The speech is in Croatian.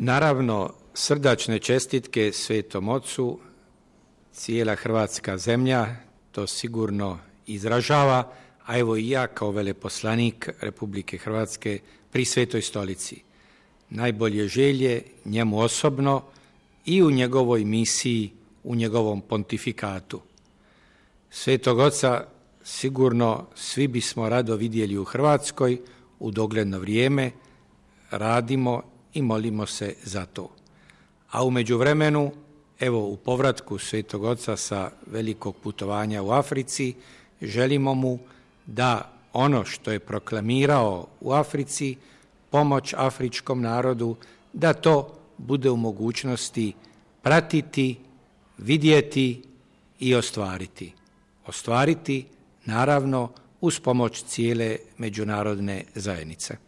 Naravno, srdačne čestitke Svetom Ocu, cijela hrvatska zemlja to sigurno izražava, a evo i ja kao veleposlanik Republike Hrvatske pri Svetoj Stolici. Najbolje želje njemu osobno i u njegovoj misiji, u njegovom pontifikatu. Svetog Oca sigurno svi bismo rado vidjeli u Hrvatskoj u dogledno vrijeme, radimo i molimo se za to. A u međuvremenu, evo u povratku Svetog Oca sa velikog putovanja u Africi, želimo mu da ono što je proklamirao u Africi, pomoć afričkom narodu, da to bude u mogućnosti pratiti, vidjeti i ostvariti. Ostvariti, naravno, uz pomoć cijele međunarodne zajednice.